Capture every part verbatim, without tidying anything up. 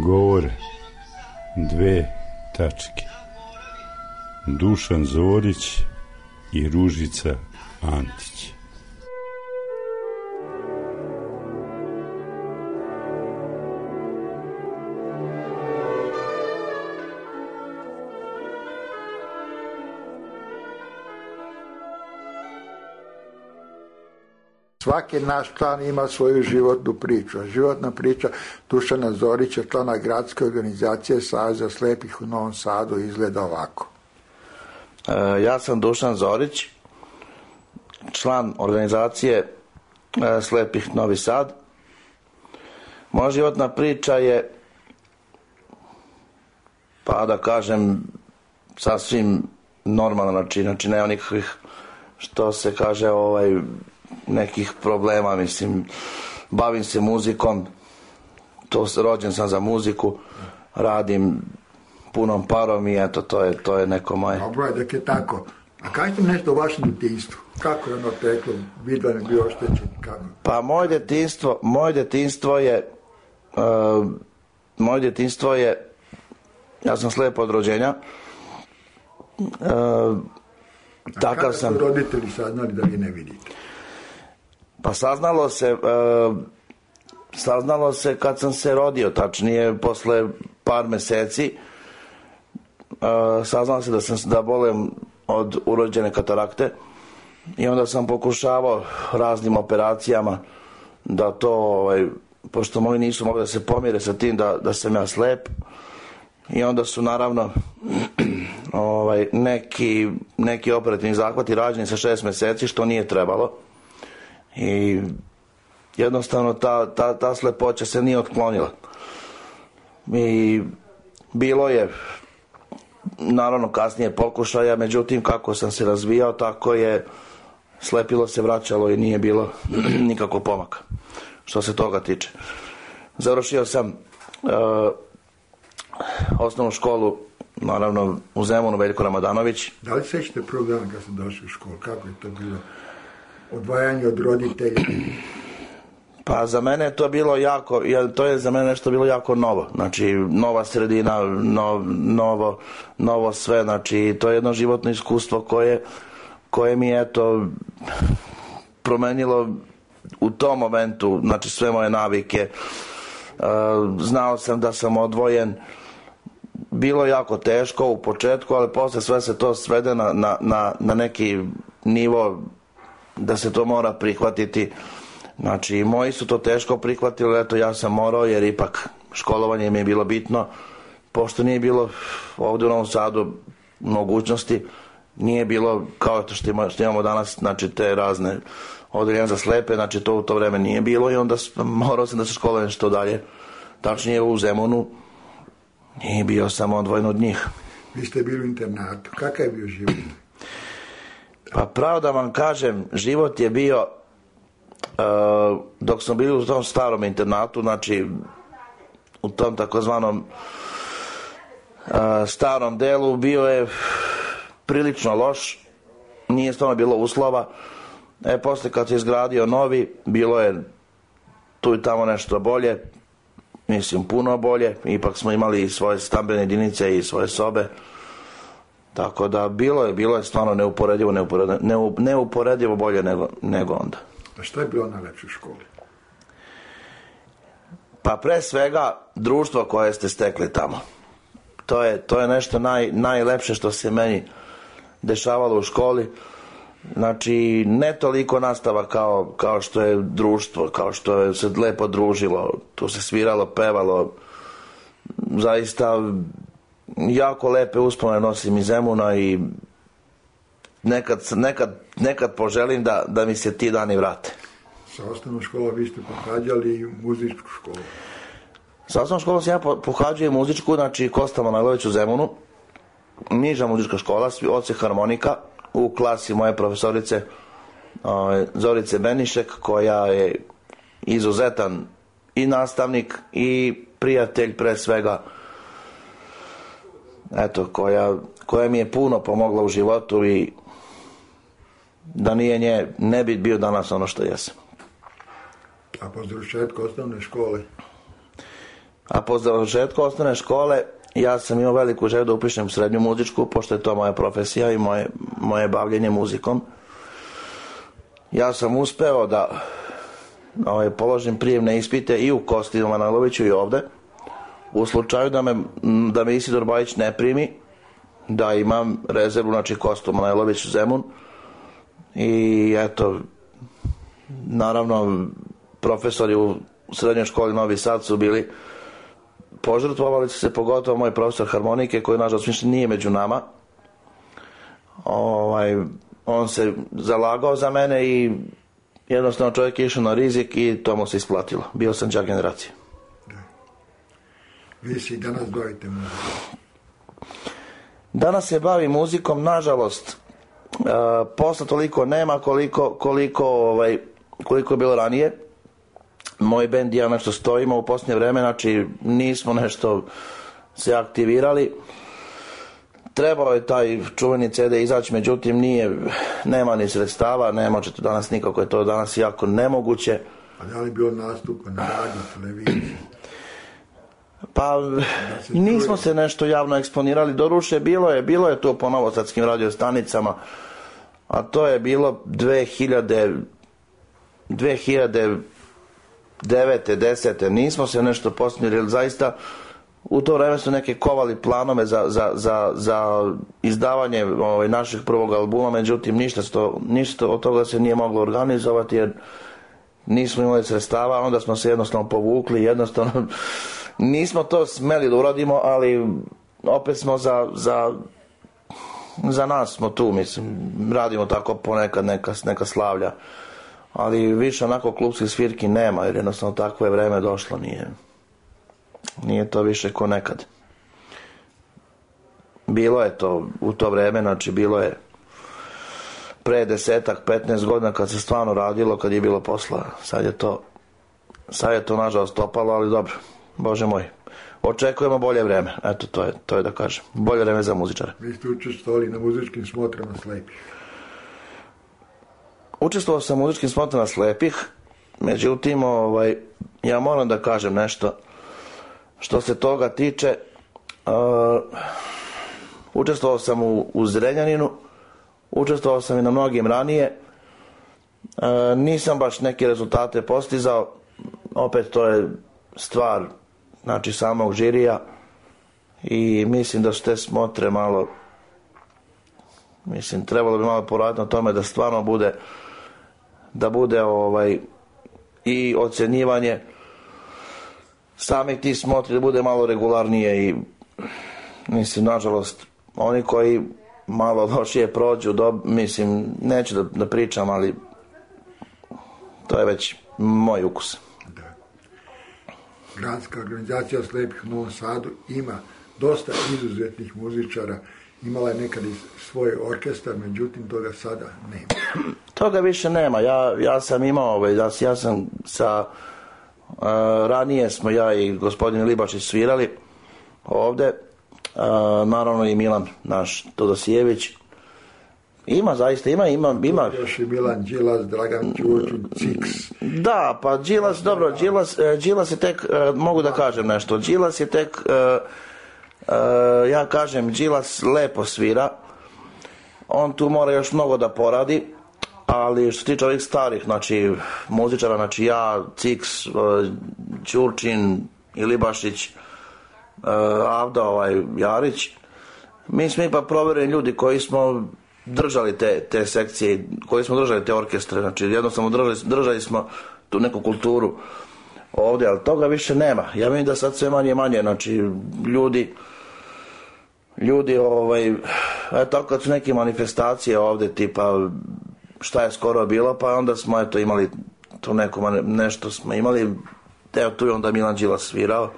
Govore dve tačke. Dušan Zorić i Ružica Antić. Svaki naš član ima svoju životnu priču. Životna priča Dušana Zorića, člana gradske organizacije Saveza slepih u Novom Sadu, izgleda ovako. E, ja sam Dušan Zorić, član organizacije e, slepih Novi Sad. Moja životna priča je, pa da kažem, sasvim normalna, znači, znači nema nikakvih, što se kaže, ovaj, nekih problema, mislim, bavim se muzikom, to rođen sam za muziku, radim punom parom i eto, to je, to je neko moje. Dobro je, dok je tako. A kažete mi nešto o vašem djetinjstvu? Kako je ono teklo? Vidvan je bio oštećen? Kako? Pa moje djetinjstvo, moje djetinjstvo je, uh, moje djetinjstvo je, ja sam slijep od rođenja. Uh, A takav kada sam. su roditelji saznali da vi ne vidite? Pa saznalo se, uh, saznalo se kad sam se rodio, tačnije posle par meseci. Uh, saznalo se da sam da bolem od urođene katarakte i onda sam pokušavao raznim operacijama da to, ovaj, pošto moji nisu mogli da se pomire sa tim da, da sam ja slep, i onda su naravno ovaj, neki, neki operativni zahvati rađeni sa šest meseci, što nije trebalo, i jednostavno ta, ta, ta slepoća se nije otklonila. I bilo je naravno kasnije pokušaja, međutim kako sam se razvijao, tako je slepilo se vraćalo i nije bilo nikakvog pomaka što se toga tiče. Završio sam uh, osnovnu školu, naravno u Zemunu, Veljko Ramadanović. Da li sećate prvog dana kad sam došao u školu? Kako je to bilo? Odvajanje od roditelja? Pa za mene je to bilo jako, to je za mene nešto bilo jako novo, znači nova sredina, no, novo, novo sve, znači to je jedno životno iskustvo koje, koje mi je to promenilo u tom momentu, znači sve moje navike. Znao sam da sam odvojen, bilo je jako teško u početku, ali posle sve se to svede na, na, na, na neki nivo da se to mora prihvatiti. Znači, moji su to teško prihvatili, eto, ja sam morao, jer ipak školovanje mi je bilo bitno, pošto nije bilo ovdje u Novom Sadu mogućnosti, nije bilo kao što imamo danas, znači te razne odeljenja za slepe, znači to u to vreme nije bilo, i onda morao sam da se školujem što dalje, tačnije u Zemunu, i bio sam odvojen od njih. Vi ste bili u internatu, kakav je bio život? Pa pravo da vam kažem, život je bio, Uh, dok smo bili u tom starom internatu, znači u tom takozvanom uh, starom delu, bio je prilično loš, nije stvarno bilo uslova. E, posle kad se izgradio novi, bilo je tu i tamo nešto bolje, mislim puno bolje, ipak smo imali i svoje stambene jedinice i svoje sobe, tako da bilo je, bilo je stvarno neuporedivo, neuporedivo, neuporedivo bolje nego, nego onda. A što je bilo najlepše u školi? Pa pre svega društvo koje ste stekli tamo. To je, to je nešto naj, najlepše što se meni dešavalo u školi. Znači, ne toliko nastava kao, kao što je društvo, kao što je se lepo družilo, tu se sviralo, pevalo. Zaista jako lepe uspomene nosim iz Zemuna i Nekad, nekad, nekad poželim da, da mi se ti dani vrate. Sa osnovnom školom vi ste pohađali i muzičku školu? Sa osnovnom školom sam ja pohađao muzičku, znači Kosta Manojlović u Zemunu, niža muzička škola, odsek harmonika, u klasi moje profesorice Zorice Benišek, koja je izuzetan i nastavnik i prijatelj pre svega, eto, koja, koja mi je puno pomogla u životu, i da nije nje, ne bi bio danas ono što jesam. A po završetku osnovne škole? A po završetku osnovne škole ja sam imao veliku želju da upišem srednju muzičku, pošto je to moja profesija i moje, moje bavljenje muzikom. Ja sam uspeo da ovaj, položim prijemne ispite i u Kosti Manojloviću i ovde. U slučaju da me, da me Isidor Bajić ne primi, da imam rezervu, znači Kostu Manojlović Zemun. I eto, naravno, profesori u srednjoj školi Novi Sad su bili, požrtvovali su se, pogotovo moj profesor harmonike, koji nažalost više nije među nama. Ovaj, on se zalagao za mene i jednostavno čovjek je išao na rizik i to mu se isplatilo. Bio sam đak generacije. Vi se i danas bavite muzikom? Danas se bavim muzikom, nažalost, uh, posla toliko nema koliko, koliko, ovaj, koliko je bilo ranije. Moj bend i ja nešto stojimo u posljednje vreme, znači nismo nešto se aktivirali. Trebao je taj čuveni ce de izaći, međutim nije, nema ni sredstava, ne možete danas nikako, je to danas jako nemoguće. A da li bilo nastupa na radiju, televiziji? Pa nismo se nešto javno eksponirali, doruše bilo je, bilo je to po novosadskim radiostanicama, a to je bilo dve hiljade devete. desete. Nismo se nešto postavili, jer zaista u to vreme su neke kovali planove za, za, za, za izdavanje ovaj, našeg prvog albuma, međutim ništa, sto, ništa od toga se nije moglo organizovati jer nismo imali sredstava, onda smo se jednostavno povukli, jednostavno nismo to smeli da uradimo, ali opet smo za, za, za nas smo tu, mislim, radimo tako ponekad neka, neka slavlja, ali više onako klubskih svirki nema, jer jednostavno takvo je vreme došlo, nije, nije to više ko nekad. Bilo je to u to vreme, znači bilo je pre desetak, petnaest godina kad se stvarno radilo, kad je bilo posla. Sad je to, sad je to nažalost opalo, ali dobro, Bože moj. Očekujemo bolje vreme, eto to je, to je da kažem. Bolje vreme za muzičare. Vi ste učestvovali na muzičkim smotrama slepih. Učestvovao sam u muzičkim smotrama slepih, međutim, ovaj, ja moram da kažem nešto što se toga tiče. Uh, učestvovao sam u, u Zrenjaninu, učestvovao sam i na mnogim ranije. Uh, nisam baš neke rezultate postizao, opet to je stvar, znači, samog žirija i mislim da su te smotre malo, mislim, trebalo bi malo poraditi na tome da stvarno bude, da bude ovaj i ocjenjivanje samih tih smotri, da bude malo regularnije i mislim, nažalost, oni koji malo lošije prođu, do, mislim, neću da, da pričam, ali to je već moj ukus. Gradska organizacija slepih u Novom Sadu ima dosta izuzetnih muzičara, imala je nekad i svoj orkestar, međutim toga sada nema. Toga više nema, ja, ja sam imao, ovaj, ja, ja sam sa, uh, ranije smo ja i gospodin Libašić svirali ovde, uh, naravno i Milan, naš Todosijević. Ima, zaista, ima, ima, ima. Još i Milan Đilas, Dragan Ćurčić, Ciks. Da, pa Đilas, dobro, Đilas, Đilas je tek, mogu da kažem nešto, Đilas je tek, uh, uh, ja kažem, Đilas lepo svira, on tu mora još mnogo da poradi, ali što se tiče ovih starih, znači, muzičara, znači ja, Ciks, uh, Ćurčin, Ilibašić, uh, Avda, ovaj, Jarić, mi smo ipak provjereni ljudi koji smo držali te, te sekcije, koji smo držali te orkestre, znači jednostavno držali, držali smo tu neku kulturu ovdje, ali toga više nema. Ja vidim da sad sve manje i manje, znači ljudi ljudi ovaj, eto kad su neke manifestacije ovdje, tipa šta je skoro bilo, pa onda smo eto imali tu neko, nešto smo imali, evo tu je onda Milan Đilas svirao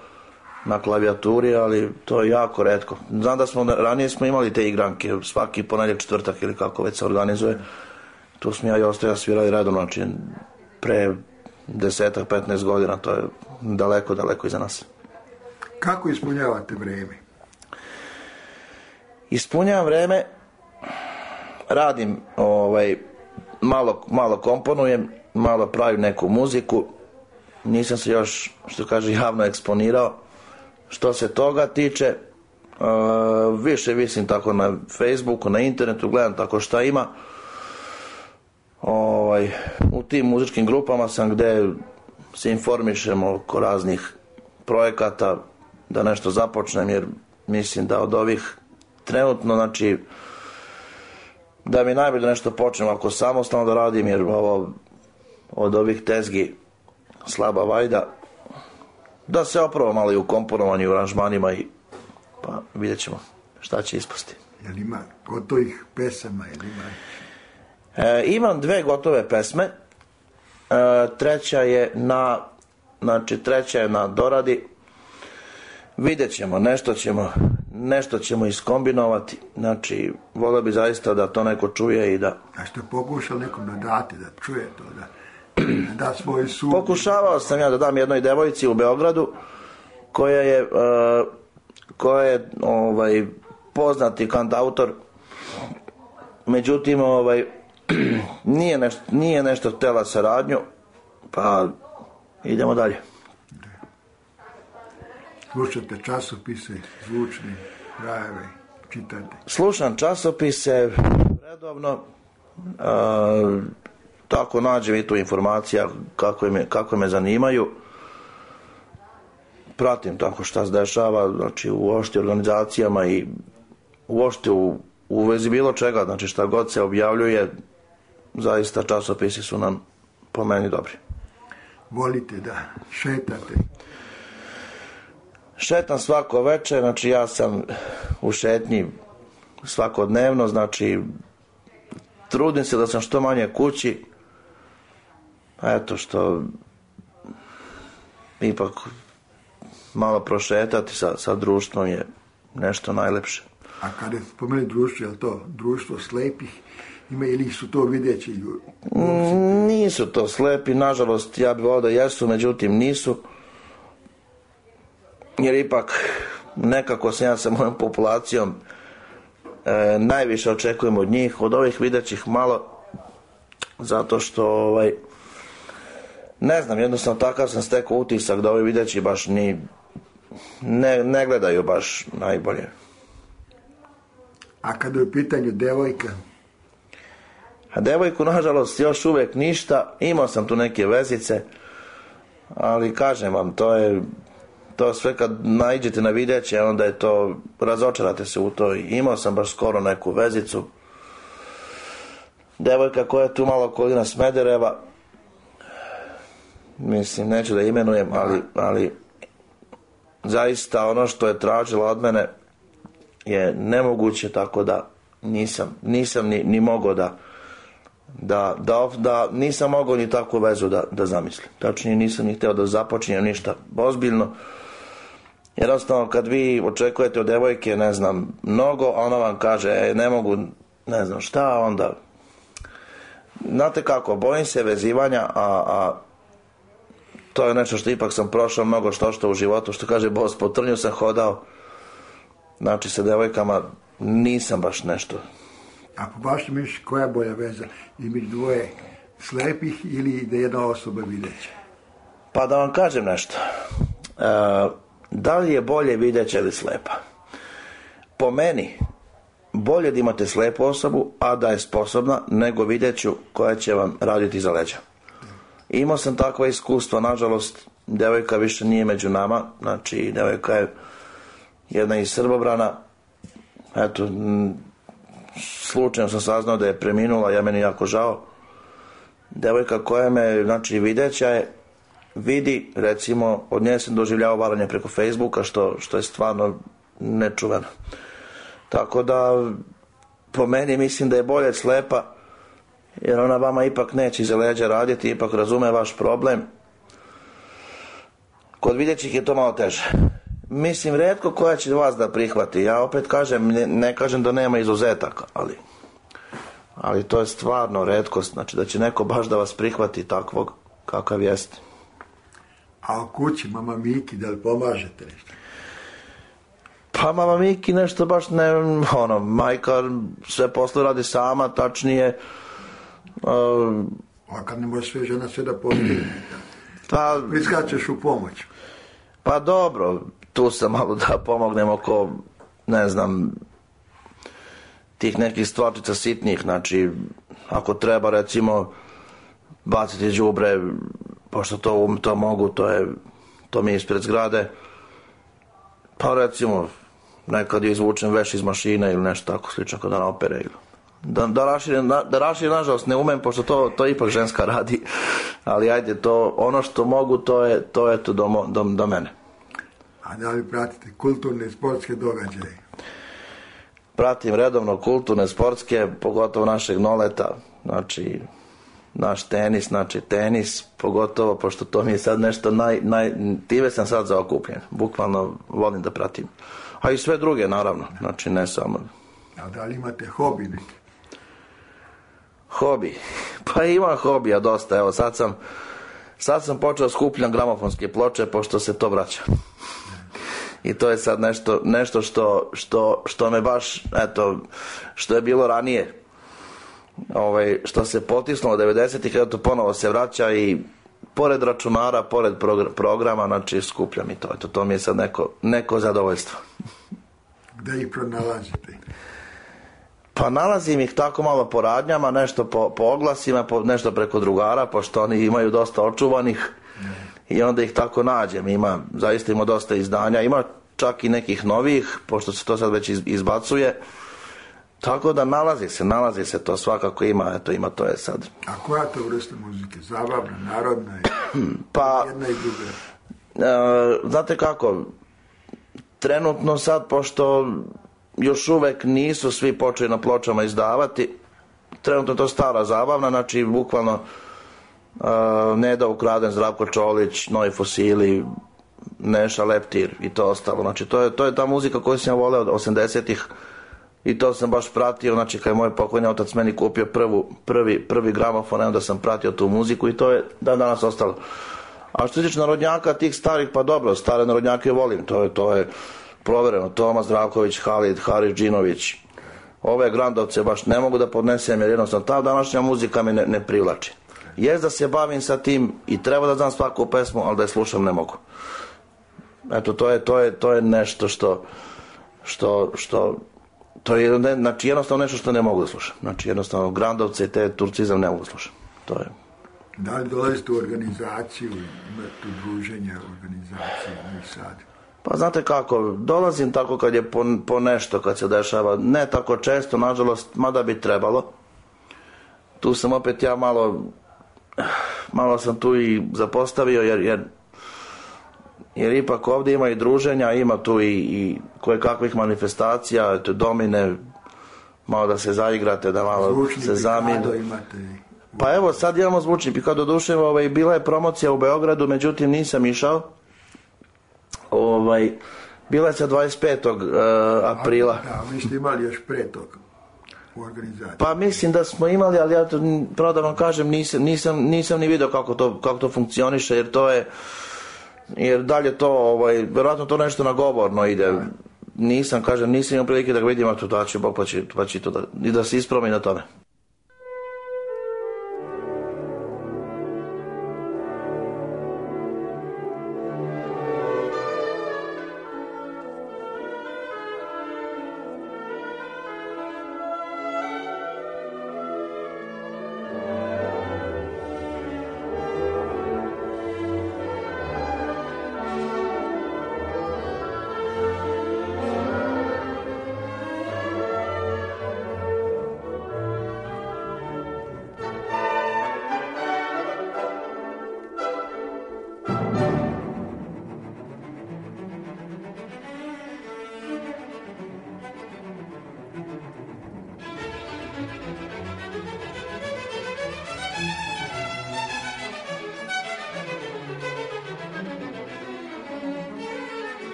na klavijaturi, ali to je jako retko. Znam da smo, ranije smo imali te igranke, svaki ponedjeljak, četvrtak ili kako već se organizuje. Tu smo ja i Ostoja svirali redom, znači pre desetak, petnaest godina, to je daleko, daleko iza nas. Kako ispunjavate vreme? Ispunjavam vreme, radim, ovaj, malo, malo komponujem, malo pravim neku muziku, nisam se još, što kaže, javno eksponirao. što se toga tiče. Uh, više visim tako na Facebooku, na internetu, gledam tako šta ima. Ovaj, u tim muzičkim grupama sam gdje se informišemo oko raznih projekata, da nešto započnem, jer mislim da od ovih trenutno, znači da mi najbolje nešto počnem ako samostalno da radim, jer ovo od ovih tezgi slaba vajda, da se opravo malo i u komponovanju, u aranžmanima, i pa vidjet ćemo šta će ispasti. Jel ima gotovih pesama? Jel ima? E, imam dve gotove pesme, e, treća je na znači treća je na doradi. Vidjet ćemo, nešto ćemo nešto ćemo iskombinovati, znači volio bi zaista da to neko čuje i da... A što je pokušao nekom da date, da čuje to, da, da svoj sud... Pokušavao sam ja da dam jednoj devojci u Beogradu koja je uh, koja je ovaj, poznati kantautor, međutim ovaj, nije, nešto, nije nešto htjela saradnju, pa idemo dalje. Slušate časopise, zvučni, krajeve, čitate? Slušam časopise redovno, a, tako nađem i tu informacija kako me, kako me zanimaju. Pratim tako šta se dešava, znači uopšte organizacijama i uopšte u, u vezi bilo čega, znači šta god se objavljuje, zaista časopisi su nam po meni dobri. Volite da šetate? Šetam svako večer, znači ja sam u šetnji svakodnevno, znači trudim se da sam što manje kući, eto što ipak malo prošetati sa, sa društvom je nešto najlepše. A kada je spomeni društvo, je li to društvo slepih? Ima ili su to videći ljudi? Mm, nisu to slepi, nažalost ja bih volio da jesu, međutim nisu. Jer ipak nekako se ja sa mojom populacijom e, najviše očekujem od njih, od ovih videćih malo, zato što ovaj, ne znam, jednostavno takav sam stekao utisak da ovi videći baš ni ne, ne gledaju baš najbolje. A kada je u pitanju devojka? A devojku nažalost još uvijek ništa, imao sam tu neke vezice, ali kažem vam, to je to sve kad naiđete na videće, onda je to, razočarate se u to. Imao sam baš skoro neku vezicu, devojka koja je tu malo okolina Smedereva, mislim, neću da imenujem, ali, ali zaista ono što je tražila od mene je nemoguće, tako da nisam, nisam ni, ni mogao da Da, da, da nisam mogao ni takvu vezu da, da zamislim. Tačnije nisam ni htio da započinjem ništa ozbiljno. Jednostavno kad vi očekujete od devojke, ne znam, mnogo, a ona vam kaže e, ne mogu, ne znam šta, onda znate kako, bojim se vezivanja, a, a to je nešto što ipak sam prošao mnogo što što u životu, što kaže Bos, po trnju sam hodao, znači sa devojkama nisam baš nešto. A po vašem mišljenju koja je bolja veza između dvoje slepih ili da jedna osoba videća? Pa da vam kažem nešto. E, da li je bolje videća ili slepa? Po meni, bolje da imate slepu osobu, a da je sposobna, nego videću koja će vam raditi za leđa. Imao sam takva iskustva, nažalost, devojka više nije među nama, znači devojka je jedna iz Srbobrana, eto, m, slučajno sam saznao da je preminula, ja meni jako žao. Devojka koja me, znači videća je, vidi, recimo, od nje sam doživljavao varanje preko Facebooka, što, što je stvarno nečuveno. Tako da, po meni mislim da je bolje slepa, jer ona vama ipak neće iza leđa raditi, ipak razume vaš problem. Kod videćih je to malo teže. Mislim, retko koja će vas da prihvati. Ja opet kažem, ne, ne kažem da nema izuzetaka, ali, ali to je stvarno retkost. Znači da će neko baš da vas prihvati takvog kakav jeste. A u kući, mama Miki, da li pomažete nešto? Pa mama Miki nešto baš ne, ono, majka sve posle radi sama, tačnije. Uh, A kad ne može sve žena sve da postigne, pa, priskačeš u pomoć. Pa dobro, tu sam malo da pomognem oko, ne znam, tih nekih stvarčica sitnih, znači ako treba recimo baciti đubre, pošto to, to mogu, to je to mi je ispred zgrade, pa recimo nekad izvučem veš iz mašine ili nešto tako slično kada na opere ili Da, da raširim, da raširim, nažalost ne umem, pošto to, to ipak ženska radi, ali ajde, to, ono što mogu, to je to, je to do, do, do mene. A da li pratite kulturne i sportske događaje? Pratim redovno kulturne, sportske, pogotovo našeg Noleta, znači naš tenis, znači tenis, pogotovo, pošto to mi je sad nešto naj, naj time sam sad zaokupljen, bukvalno volim da pratim. A i sve druge, naravno, znači ne samo. A da li imate hobi neki? Hobi? Pa imam hobija dosta, evo sad sam sad sam počeo skupljam gramofonske ploče, pošto se to vraća. I to je sad nešto, nešto što, što, što me baš, eto, što je bilo ranije, ovaj, što se potisnulo devedesetih, eto to ponovo se vraća i pored računara, pored programa, znači skupljam i to, eto, to mi je sad neko, neko zadovoljstvo. Gde ih pronalazite? Pa nalazim ih tako malo po radnjama, nešto po, po oglasima, po, nešto preko drugara, pošto oni imaju dosta očuvanih i onda ih tako nađem. Ima, zaista ima dosta izdanja, ima čak i nekih novih, pošto se to sad već izbacuje. Tako da nalazi se, nalazi se to, svakako ima, eto ima, to je sad. A koja to vrsta muzike? Zabavna, narodna je? Pa, jedna i druga? E, znate kako, trenutno sad, pošto još uvek nisu svi počeli na pločama izdavati, trenutno je to stara zabavna, znači bukvalno uh, Neda Ukraden, Zdravko Čolić, Novi Fosili, Neša Leptir i to ostalo, znači to je, to je ta muzika koju sam ja voleo od osamdesetih i to sam baš pratio, znači kad je moj pokojni otac meni kupio prvu, prvi, prvi gramofon, onda sam pratio tu muziku i to je dan danas ostalo. A što se tiče narodnjaka tih starih, pa dobro, stare narodnjake volim, to je, to je provereno, Toma Zdravković, Halid, Haris Džinović, ove Grandovce baš ne mogu da podnesem, jer jednostavno ta današnja muzika me ne, ne privlači. Jest da se bavim sa tim i treba da znam svaku pesmu, ali da je slušam ne mogu. Eto, to je, to je, to je nešto što, što, što, to je ne, znači jednostavno nešto što ne mogu da slušam. Znači jednostavno Grandovce i te turcizam ne mogu da slušam. To je. Da li dolazite u organizaciju, imate druženje organizacije u Sadu? Pa znate kako, dolazim tako kad je po, po nešto, kad se dešava, ne tako često, nažalost, mada bi trebalo. Tu sam opet ja malo, malo sam tu i zapostavio, jer, jer, jer ipak ovdje ima i druženja, ima tu i, i koje kakvih manifestacija, eto, domine, malo da se zaigrate, da malo zvučni se zaminu. Pa evo, sad imamo zvučni pikado, duše, ovaj, bila je promocija u Beogradu, međutim nisam išao. Ovaj, bila je sa dvadeset petog aprila. Da, vi ste imali još pre toga u organizaciji. Pa mislim da smo imali, ali ja to, pravo da vam kažem, nisam, nisam, nisam ni vidio kako to, kako to funkcioniše, jer to je, jer dalje to, ovaj, verovatno to nešto nagovorno ide. Nisam, kažem, nisam imao prilike da ga vidim, a to da će Bog pa će, pa će to da, i da se ispromi na tome.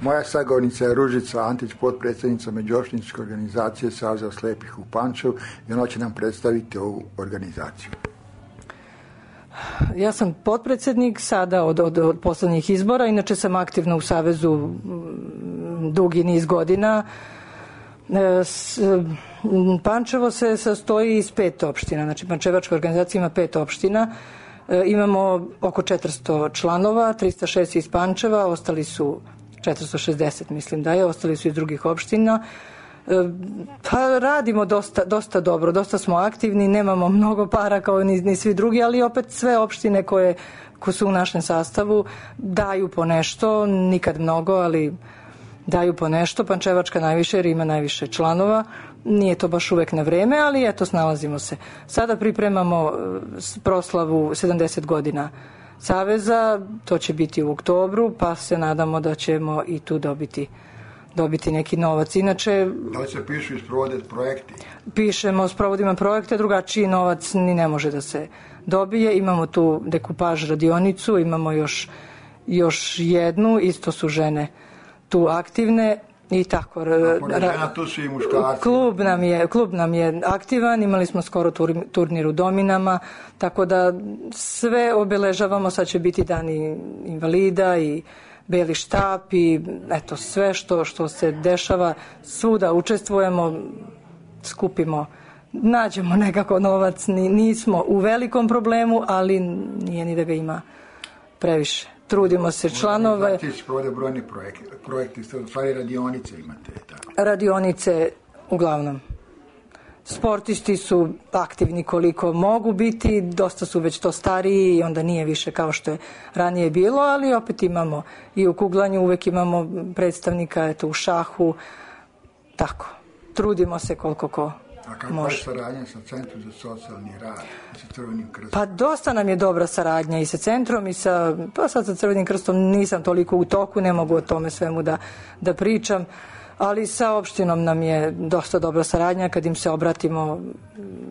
Moja sagovornica je Ružica Antić, potpredsjednica Međuopštinske organizacije Saveza slepih u Pančevu i ona će nam predstaviti ovu organizaciju. Ja sam potpredsjednik sada od, od, od poslednjih izbora, inače sam aktivna u Savezu dugi niz godina. Pančevo se sastoji iz pet opština, znači Pančevačka organizacija ima pet opština. Imamo oko četiristo članova, trista šest iz Pančeva, ostali su četiristo šezdeset mislim da je, ostali su iz drugih opština. Pa radimo dosta, dosta dobro, dosta smo aktivni, nemamo mnogo para kao ni, ni svi drugi, ali opet sve opštine koje, koje su u našem sastavu daju po nešto, nikad mnogo, ali daju po nešto. Pančevačka najviše jer ima najviše članova, nije to baš uvek na vreme, ali eto, snalazimo se. Sada pripremamo proslavu sedamdeset godina Saveza, to će biti u oktobru, pa se nadamo da ćemo i tu dobiti dobiti neki novac. Inače, da li se pišu i sprovode projekti? Pišemo, sprovodimo projekte, drugačiji novac ni ne može da se dobije. Imamo tu dekupaž radionicu, imamo još, još jednu, isto su žene tu aktivne i tako. A pored žena tu su i muškarci. Klub nam je, klub nam je aktivan, imali smo skoro tur, turnir u Dominama, tako da sve obeležavamo, sad će biti dani invalida i beli štap i eto sve što, što se dešava, svuda učestvujemo, skupimo, nađemo nekako novac, nismo u velikom problemu, ali nije ni da ga ima previše. Trudimo se članove. Znači se provode brojni projekti, projekti, stvari radionice imate. Tako. Radionice uglavnom. Sportisti su aktivni koliko mogu biti, dosta su već to stariji i onda nije više kao što je ranije bilo, ali opet imamo i u kuglanju, uvek imamo predstavnika, eto, u šahu, tako. Trudimo se koliko ko A kako je saradnja sa Centrom za socijalni rad i sa Crvenim krstom? Pa dosta nam je dobra saradnja i sa Centrom i sa, pa sad sa Crvenim krstom nisam toliko u toku, ne mogu o tome svemu da, da pričam, ali sa opštinom nam je dosta dobra saradnja, kad im se obratimo,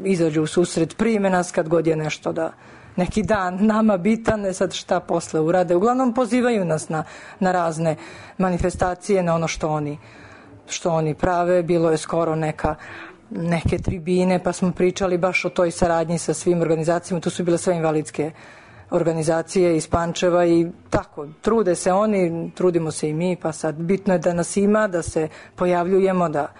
izađu u susret, prime nas kad god je nešto da, neki dan nama bitan, ne sad šta posle urade. Uglavnom pozivaju nas na, na razne manifestacije, na ono što oni, što oni prave. Bilo je skoro neka neke tribine, pa smo pričali baš o toj saradnji sa svim organizacijama, tu su bile sve invalidske organizacije iz Pančeva i tako, trude se oni, trudimo se i mi, pa sad bitno je da nas ima, da se pojavljujemo, da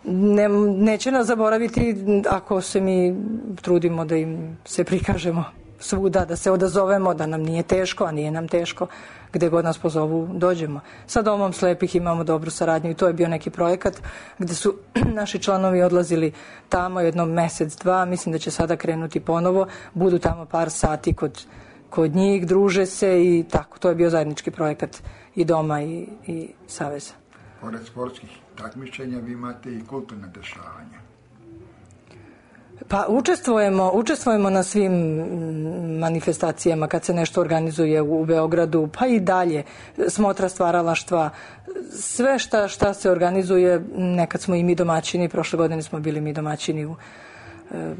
ne, neće nas zaboraviti ako se mi trudimo da im se prikažemo svuda, da se odazovemo, da nam nije teško, a nije nam teško, gde god nas pozovu, dođemo. Sa Domom slepih imamo dobru saradnju i to je bio neki projekat gde su naši članovi odlazili tamo jednom mesec, dva, mislim da će sada krenuti ponovo, budu tamo par sati kod, kod njih, druže se i tako. To je bio zajednički projekat i Doma i, i Saveza. Pored sportskih takmičenja vi imate i kulturne dešavanja. Pa učestvujemo, učestvujemo na svim manifestacijama kad se nešto organizuje u Beogradu, pa i dalje, smotra stvaralaštva, sve šta, šta se organizuje, nekad smo i mi domaćini, prošle godine smo bili mi domaćini u e,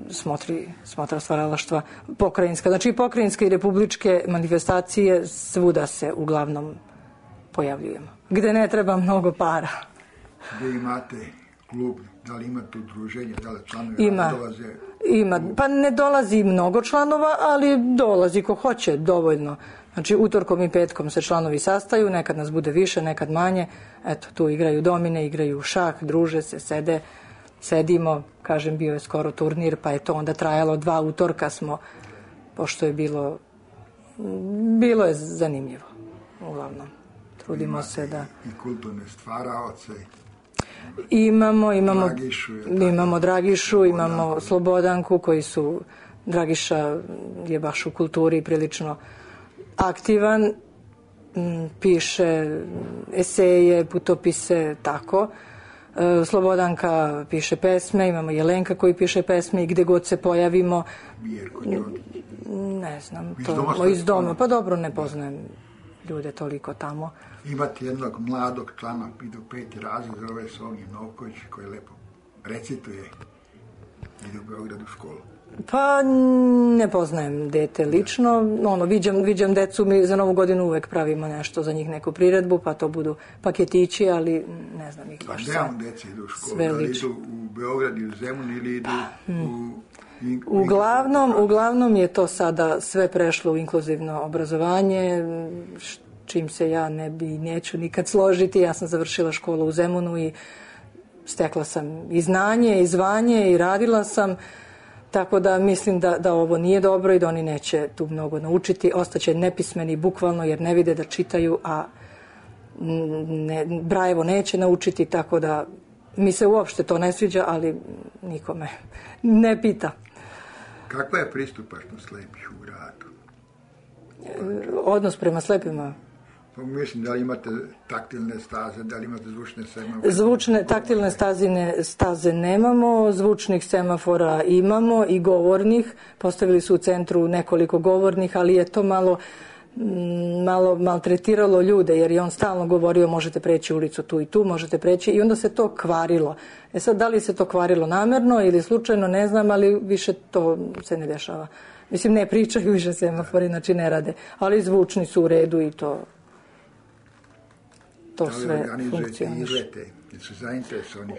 smotri, smotra stvaralaštva pokrajinska, znači i pokrajinske i republičke manifestacije, svuda se uglavnom pojavljujemo, gde ne treba mnogo para. Gde imate klub, da li imate udruženje, da li članovi ima, dolaze? Ima, pa ne dolazi mnogo članova, ali dolazi ko hoće, dovoljno. Znači, utorkom i petkom se članovi sastaju, nekad nas bude više, nekad manje. Eto, tu igraju domine, igraju šah, druže se, sede, sedimo. Kažem, bio je skoro turnir, pa je to onda trajalo dva utorka smo, pošto je bilo, bilo je zanimljivo, uglavnom. Trudimo imate se da... I kulturne stvaraoce. Imamo, imamo Dragišu, imamo Dragišu, imamo Slobodanku, koji su, Dragiša je baš u kulturi prilično aktivan, piše eseje, putopise, tako. Slobodanka piše pesme, imamo Jelenka koji piše pesme i gde god se pojavimo. Ne znam, to iz doma, pa dobro, ne poznajem ljude toliko tamo. Imate jednog mladog člana, ide u peti razred, zove se Ognjen Novković, koji lepo recituje, ide u Beogradu u školu. Pa ne poznajem dete lično, ono, viđam, viđam decu, mi za Novu godinu uvek pravimo nešto, za njih neku priredbu, pa to budu paketići, ali ne znam ih baš sve. Pa nemam deci idu u školu, da li idu u Beograd ili u Zemun ili idu u... Uglavnom, uglavnom je to sada sve prešlo u inkluzivno obrazovanje, čim se ja ne bi neću nikad složiti. Ja sam završila školu u Zemunu i stekla sam i znanje i zvanje i radila sam, tako da mislim da, da ovo nije dobro i da oni neće tu mnogo naučiti. Ostaće nepismeni bukvalno jer ne vide da čitaju, a ne, Brajevo neće naučiti, tako da mi se uopšte to ne sviđa, ali nikome ne pita. Kakva je pristupačnost slepih u gradu? Odnos prema slepima? Pa mislim, da li imate taktilne staze, da li imate zvučne semafore? Zvučne, taktilne stazine, staze nemamo, zvučnih semafora imamo i govornih. Postavili su u centru nekoliko govornih, ali je to malo... malo maltretiralo ljude, jer je on stalno govorio možete preći ulicu tu i tu, možete preći, i onda se to kvarilo. E sad, da li se to kvarilo namerno ili slučajno, ne znam, ali više to se ne dešava. Mislim, ne pričaju više semafori, znači ne rade, ali zvučni su u redu i to to sve funkcioniše.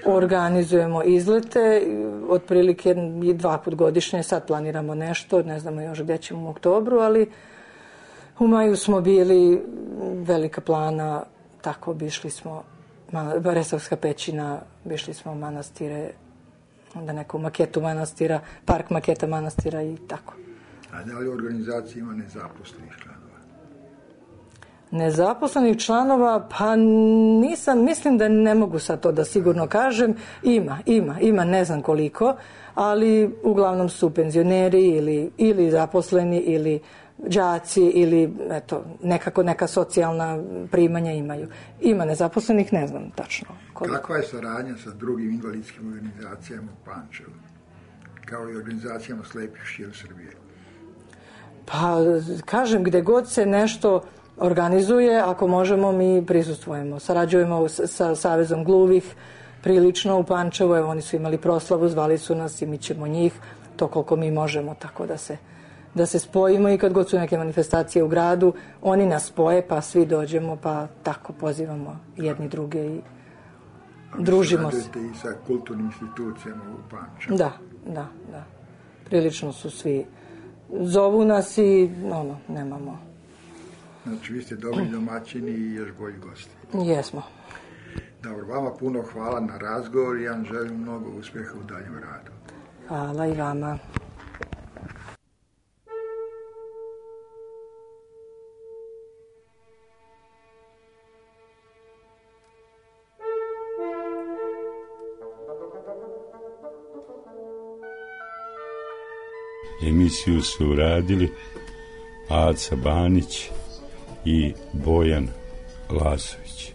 Organizujemo izlete, otprilike dva put godišnje, sad planiramo nešto, ne znamo još gdje ćemo u oktobru, ali u maju smo bili, Velika Plana, tako obišli smo Resavska pećina, obišli smo manastire, onda neku maketu manastira, park maketa manastira i tako. A da li u organizaciji ima nezaposlenih članova? Nezaposlenih članova, pa nisam, mislim da ne mogu sad to da sigurno kažem. Ima, ima, ima, ne znam koliko, ali uglavnom su penzioneri ili, ili zaposleni ili đaci ili eto, nekako neka socijalna primanja imaju. Ima nezaposlenih, ne znam tačno koliko. Kakva je saradnja sa drugim invalidskim organizacijama u Pančevu, kao i organizacijama slepih širom Srbije? Pa, kažem, gde god se nešto organizuje, ako možemo, mi prisustvujemo. Sarađujemo sa Savezom gluvih prilično u Pančevu, evo, oni su imali proslavu, zvali su nas i mi ćemo njih, to koliko mi možemo, tako da se da se spojimo, i kad god su neke manifestacije u gradu, oni nas spoje, pa svi dođemo, pa tako pozivamo jedni druge i družimo se. Sarađujete i sa kulturnim institucijama u Pančevu? Da, da, da. Prilično su svi, zovu nas i ono, nemamo. Znači, vi ste dobri domaćini i još bolji gosti. Jesmo. Dobro, vama puno hvala na razgovor i ja vam želim mnogo uspjeha u daljem radu. Hvala i vama. Emisiju su uradili Aca Banić i Bojan Lazović.